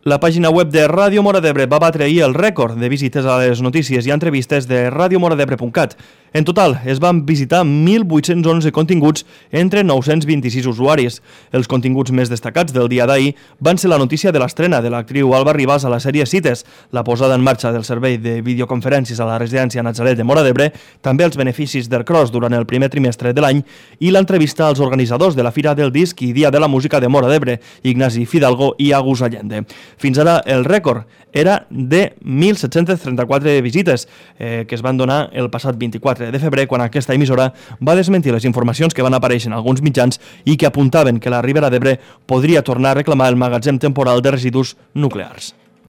La pàgina web de Ràdio Móra d'Ebre va batre ahir el rècord de visites a les notícies i entrevistes de radiomoradebre.cat. En total, es van visitar 1.811 continguts entre 926 usuaris. Els continguts més destacats del dia d'ahir van ser la notícia de l'estrena de l'actriu Alba Ribas a la sèrie Cites, la posada en marxa del servei de videoconferències a la residència Natzaret de Móra d'Ebre, també els beneficis del Cross durant el primer trimestre de l'any i l'entrevista als organitzadors de la Fira del Disc i Dia de la Música de Móra d'Ebre, Ignasi Fidalgo i Agus Allende. Fins ara el rècord era de 1.734 visites que es van donar el passat 24 de febrer quan aquesta emissora va desmentir les informacions que van aparèixer en alguns mitjans i que apuntaven que la Ribera d'Ebre podria tornar a reclamar el magatzem temporal de residus nuclears.